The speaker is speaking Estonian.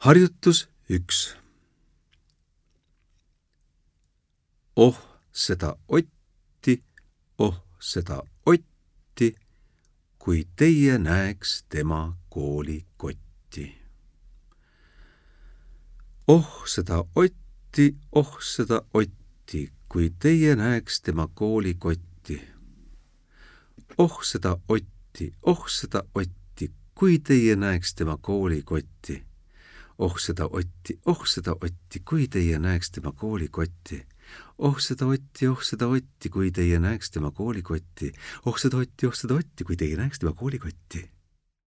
Harjutus 1. Oh seda Otti, kui teie näeks tema koolikotti. Oh seda Otti, kui teie näeks tema koolikotti. Oh seda Otti, kui teie näeks tema koolikotti. Oh seda Otti, kui teie näeks tema koolikotti. Oh seda Otti, kui teie näeks tema koolikotti. Oh seda Otti, kui teie näeks tema koolikotti.